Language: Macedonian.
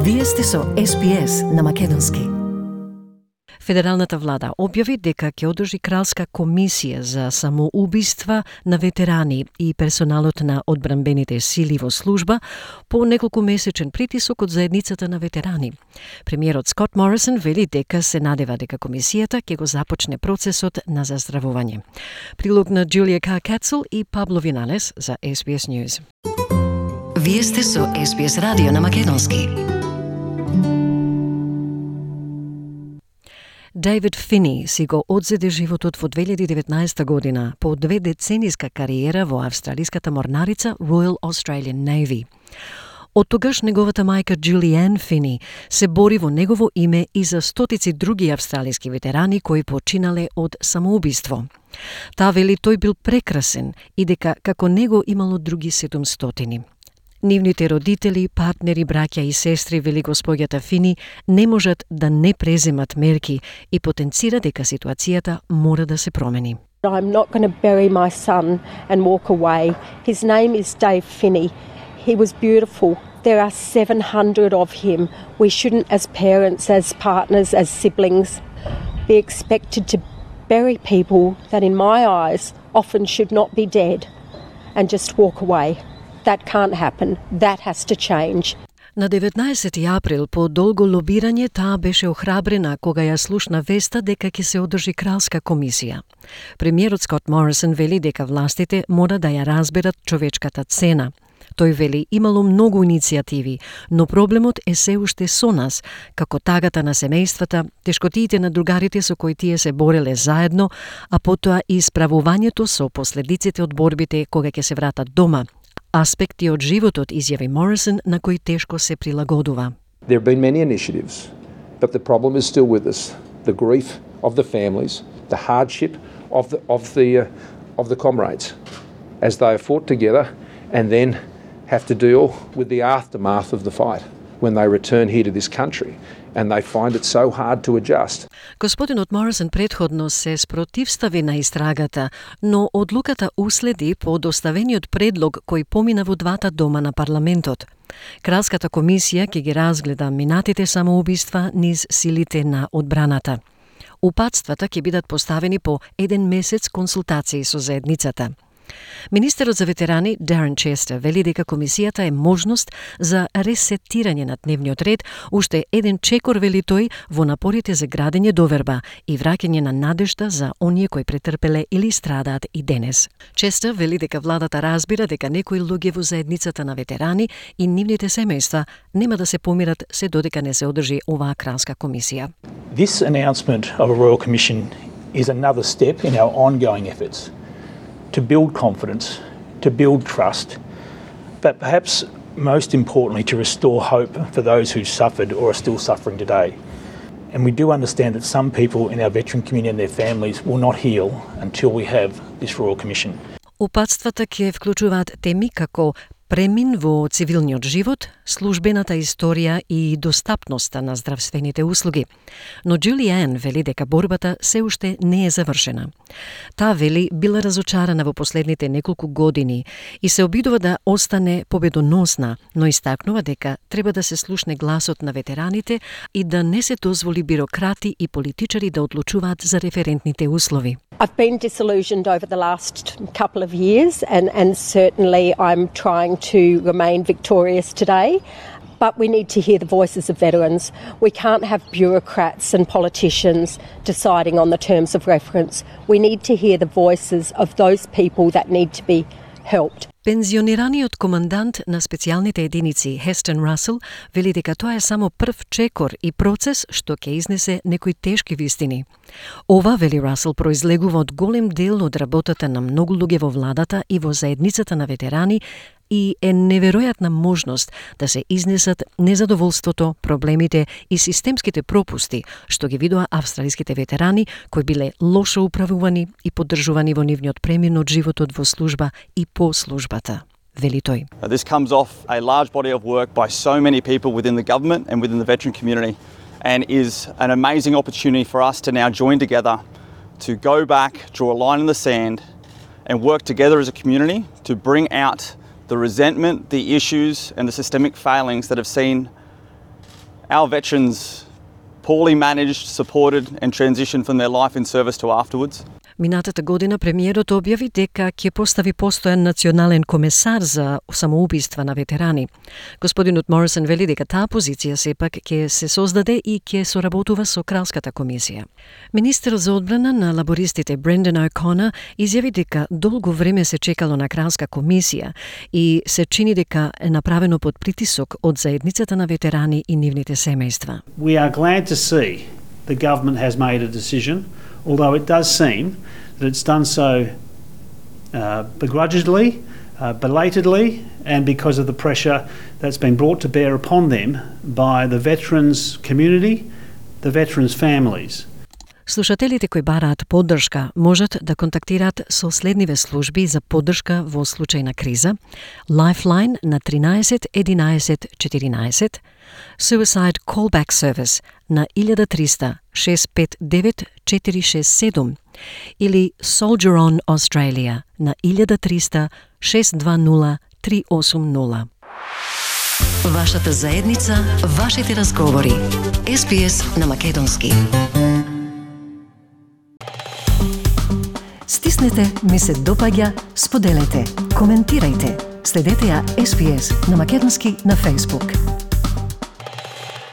Вие сте со СПС на македонски. Федералната влада објави дека ќе одржи кралска комисија за самоубиства на ветерани и персоналот на одбранбените сили во служба по неколку месечен притисок од заедницата на ветерани. Премиерот Скот Морисон вели дека се надева дека комисијата ќе го започне процесот на заздравување. Прилог на Джулија Кацел и Пабло Виналес за SBS News. Вие сте со SBS радио на македонски. Дейвид Фини си го одзеде животот во 2019 година по 2-децениска кариера во австралиската морнарица Royal Australian Navy. Од тогаш неговата мајка Джулиан Фини се бори во негово име и за стотици други австралиски ветерани кои починале од самоубиство. Таа вели тој бил прекрасен и дека како него имало други 700. Нивните родители, партнери, браќа и сестри, вели госпоѓата Фини, не можат да не преземат мерки и потенцира дека ситуацијата мора да се промени. I'm not going to bury my son and walk away. His name is Dave Finney. He was beautiful. There are 700 of him. We shouldn't, as parents, as partners, as siblings, be expected to bury people that in my eyes often should not be dead and just walk away. That can't happen. That has to change. На 19 април, по долго лобирање, таа беше охрабрена кога ја слушна веста дека ќе се одржи кралска комисија. Премиерот Скот Морисон вели дека властите мора да ја разберат човечката цена. Тој вели имало многу иницијативи, но проблемот е се уште со нас, како тагата на семејствата, тешкотиите на другарите со кои тие се бореле заедно, а потоа и справувањето со последиците од борбите кога ќе се вратат дома. Аспекти од животот, изјави Морисон, на кои тешко се прилагодува. There have been many initiatives, but the problem is still with us. The grief of the families, the hardship of the comrades as they have fought together and then have to deal with the aftermath of the fight when they return here to this country and they find it so hard to adjust. Господинот Морисон претходно се спротивстави на истрагата, но одлуката уследи по доставениот предлог кој помина во двата дома на парламентот. Кралската комисија ќе ги разгледа минатите самоубиства низ силите на одбраната. Упатствата ќе бидат поставени по 1 месец консултации со заедницата. Министерот за ветерани Дарен Честер вели дека комисијата е можност за ресетирање на дневниот ред, уште еден чекор, вели тој, во напорите за градење доверба и враќање на надежда за оние кои претрпеле или страдаат и денес. Честер вели дека владата разбира дека некои луѓе во заедницата на ветерани и нивните семејства нема да се помират се додека не се одржи оваа кралска комисија. This announcement of a Royal Commission is another step in our ongoing efforts to build confidence, to build trust, but perhaps most importantly to restore hope for those who suffered or are still suffering today. And we do understand that some people in our veteran community and their families will not heal until we have this Royal Commission. Упатствата ќе вклучуваат теми како премин во цивилниот живот, службената историја и достапноста на здравствените услуги. Но Джулиан вели дека борбата се уште не е завршена. Таа вели била разочарана во последните неколку години и се обидува да остане победоносна, но истакнува дека треба да се слушне гласот на ветераните и да не се дозволи бирократи и политичари да одлучуваат за референтните услови. I've been disillusioned over the last couple of years and certainly I'm trying to remain victorious today. But we need to hear the voices of veterans. We can't have bureaucrats and politicians deciding on the terms of reference. We need to hear the voices of those people that need to be helped. Пензионираниот командант на специјалните единици Хестен Расел вели дека тоа е само прв чекор и процес што ќе изнесе некои тешки вистини. Ова, вели Расел, произлегува од голем дел од работата на многу луѓе во владата и во заедницата на ветерани и е неверојатна можност да се изнесат незадоволството, проблемите и системските пропусти што ги видоа австралиските ветерани кои биле лошо управувани и поддржувани во нивниот премин од животот во служба и по службата. Вели тој. This comes off a large body of work by so many people within the government and within the veteran community and is an amazing opportunity for us to now join together to go back, draw a line in the sand and work together as a community to bring out the resentment, the issues and the systemic failings that have seen our veterans poorly managed, supported and transitioned from their life in service to afterwards. Минатата година премиерот објави дека ќе постави постојан национален комесар за самоубиства на ветерани. Господинот Морисон вели дека таа позиција сепак ќе се создаде и ќе соработува со Кралската комисија. Министерот за одбрана на лабористите Брендан О'Конер изјави дека долго време се чекало на Кралска комисија и се чини дека е направено под притисок од заедницата на ветерани и нивните семејства. We are glad to see the government has made a decision, although it does seem that it's done so begrudgingly, belatedly, and because of the pressure that's been brought to bear upon them by the veterans community, the veterans families. Слушателите кои бараат поддршка можат да контактираат со следниве служби за поддршка во случај на криза: Lifeline на 13 11 14, Suicide Callback Service на 1300 659 467 или Soldier On Australia на 1300 620 380. Вашата заедница, вашите разговори. SBS на македонски. Стиснете, ми се допаѓа, споделете, коментирајте. Следете ја SBS на македонски на Facebook.